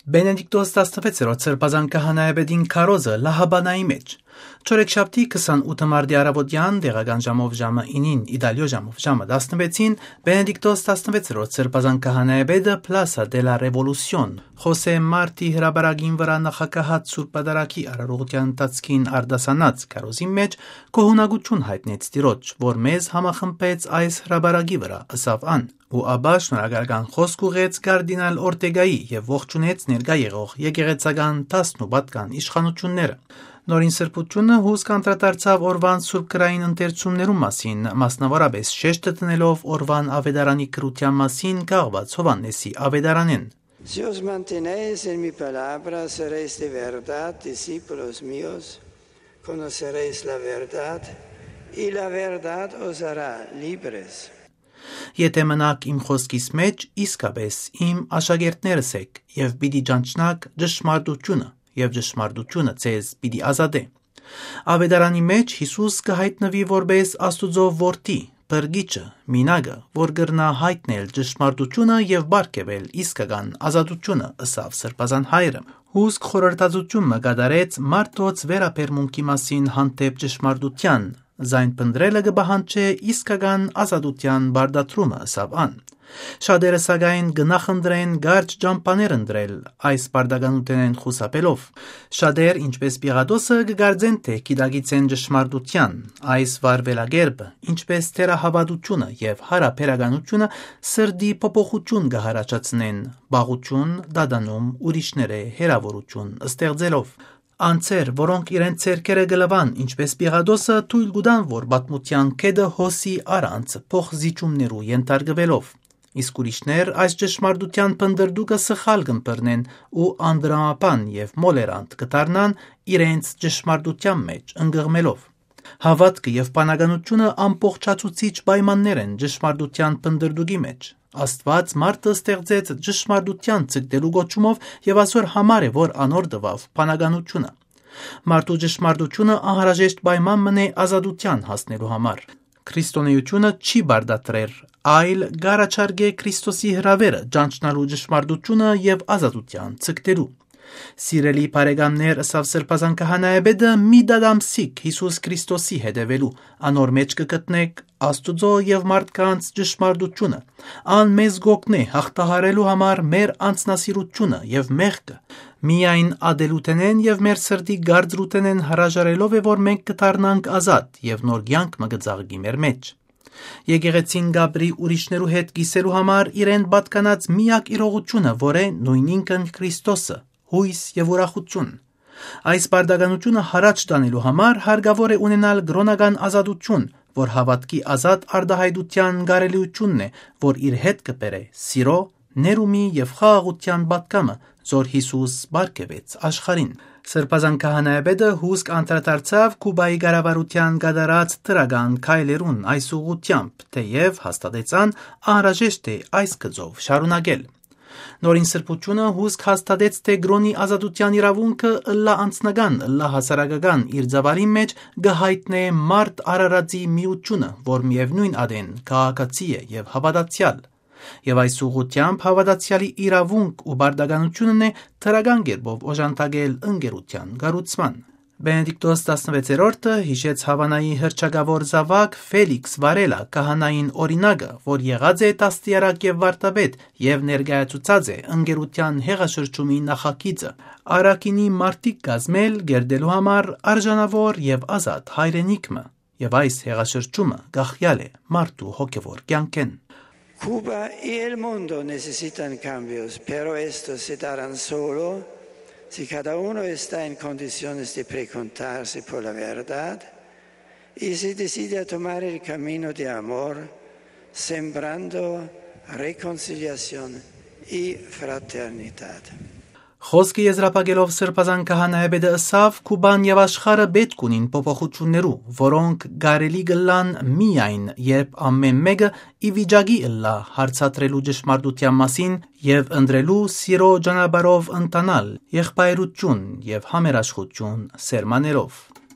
Բենեդիկտոս 16-րդ սրբազան քահանայապետին քարոզը լահաբանայի մեջ։ Չորեքշաբթի 28 մարտի առավոտյան տեղական ժամով ժամը 9-ին, իտալիո ժամով ժամը 16-ին Բենեդիկտոս 16-րդ սրբազան քահանայապետը Plaza de la Revolución Խոսե Մարտի հրաբարագին վրա նախակահած Սուրբ Պատարագի արարողության ընթացքին արդասանած քարոզի մեջ գոհունակություն հայտնեց Տիրոջ, որ մեզ համախմբեց այս հրաբարագի վրա, ըսավ ան, ու ապա շնորհակալական խոսք ուղեց կարդինալ Օրտեգայի եւ ողջունեց ներկա եղող եկեղեցական 10 պատկան իշխանությունները։ Նորին սրբությունը հուսք անդրադարձավ օրվան սուրբ գրային ընթերցումներու մասին, մասնավորապես շեշտը տնելով օրվան ավետարանի քրության մասին կաղված Հովհաննեսի ավետարանեն։ Si os mantenéis en mi palabra, seréis de verdad discípulos míos, conoceréis la verdad, y la verdad os hará libres. Եթե մնաք իմ խոսքիս մեջ, իսկապես իմ աշակերտներս եք, եւ պիտի ճանչնաք ճշմարտությունը, եւ ճշմարտությունը ձեզ պիտի ազատե։ Ավետարանի մեջ Հիսուս կհայտնվի որպես Աստուծո որդի, բրգիչը, մինագը, որ կրնա հայտնել ճշմարտությունը եւ բարգեւել իսկական ազատությունը, ըսավ սրբազան հայրը։ Հուսք խորհրդածություն կատարեց մարդոց վերապերմունքի մասին հանդեպ ճշմարտության, զայն պնդրելը կբահանջե իսկական ազատության բարդացումը, ըսավ ան։ Շատերը սակայն գնախնդրեն գարջ ճամփաներ ընտրել այս բարդականութենեն խուսափելով։ Շատեր, ինչպես Պիղատոսը, կգարձեն, թե գիտակցեն ճշմարտության, այս վարվելագերբը, ինչպես թերահավատությունը եւ հարաբերականությունը սրդի փոփոխություն կհարաճացնեն, բաղություն, դադանում, ուրիշները հերավորություն ստեղծելով։ Անցեր, որոնք իրենց ցերկերը գլվան, ինչպես Պիղատոսը, թույլ կտան, որ պատմության կետը հոսի առանց փոխզիջումներու ենթարկվելով։ Իսկ ուրիշներ այս ճշմարտության փնդրդուկը սխալ կըմբռնեն ու անդրամապան եւ մոլերանտ կդառնան իրենց ճշմարտության մեջ ընկղմելով։ Հավատքը եւ բանականությունը ամբողջացուցիչ պայմաններ են ճշմարտության փնդրդուկի մեջ։ Աստված մարդը ստեղծեց ճշմարտության ցկտելու գոչումով եւ այսօր համար է, որ անոր տվավ բանականությունը։ Մարդու ճշմարտությունը անհրաժեշտ պայման մնե ազատության հասնելու համար։ Քրիստոնեությունը չի բարդատրեր, այլ գարաչարգե Քրիստոսի հրավերը ճանչնալու ճշմարտությունը եւ ազատության ցկտելու։ Սիրելի բարեկամներ, ըսավ սրբազան քահանայապետը, մի դադամսիկ Հիսուս Քրիստոսի հետևելու, անոր մեջ կգտնեք Աստուծո եւ մարդկանց ճշմարտությունը, ան մեզ գօգնե հաղթահարելու համար մեր անձնասիրությունը եւ մեղքը, միայն ադելութենեն եւ մեր սրտի գարձրութենեն հրաժարելով է, որ մենք կդառնանք ազատ եւ նոր կյանք մը գծաղկի մեր մեջ։ Եկեղեցին գաբրի ուրիշներու հետ գիսելու համար իրեն պատկանած միակ իրողությունը, որ է նույնինքն Քրիստոսը, հույս եւ ուրախություն։ Այս բարդականությունը հարաճ տանելու համար հարկավոր է ունենալ գրոնական ազատություն, որ հավատքի ազատ արդահայտության գարելիությունն է, որ իր հետ կբերե սիրո, ներումի եւ խաղաղության պատկամը, որ Հիսուս բարգեւեց աշխարհին։ Սրբազան քահանայապետը հուսք անդրադարձավ Կուբայի կառավարության կատարած դրական քայլերուն այս ուղղությամբ, թեև հաստատեցան անհրաժեշտ է այս գծով շարունակել։ Նորին սրբությունը հուսք հաստատեց, թե գրոնի ազատության իրավունքը ըլլա անձնական, ըլլա հասարակական իր ծավալի մեջ գահայտնե մարդ Արարածի միությունը, որ միևնույն ադեն քաղաքացի է եւ հավատացյալ։ Եվ այս ուղղությամբ հավատացյալի իրավունք ու բարդականությունն է թրական կերպով օժանդակել ընկերության կառուցման։ Բենեդիկտոս 16-րդը հիշեց Հավանայի հռչակավոր զավակ Ֆելիքս Վարելա քահանային օրինակը, որ եղած է տաստիարակ եւ վարտաբեդ եւ ներկայացուցած է ընկերության հեղաշրջումի նախագիծը Արաքինի մարտիկ կազմել գերդելու համար արժանավոր եւ ազատ հայրենիքը, եւ այս հեղաշրջումը գախյալ է մարդու հոգեվոր կյանքեն։ Cuba y el mundo necesitan cambios, pero estos se darán solo si cada uno está en condiciones de preguntarse por la verdad y se decide a tomar el camino de amor, sembrando reconciliación y fraternidad. Խոսքը եզրափակելով սրբազան քահանայապետը ըսավ Կուբան եւ աշխարհը պետք ունին փոփոխություններու, որոնք գարելի գլան միայն, երբ ամեն մեկը ի վիճակի ըլլա հարցատրելու ճշմարտության մասին եւ ընտրելու սիրո ճանապարհով ընտանալ, եղբայրություն եւ համերաշխություն սերմաներով։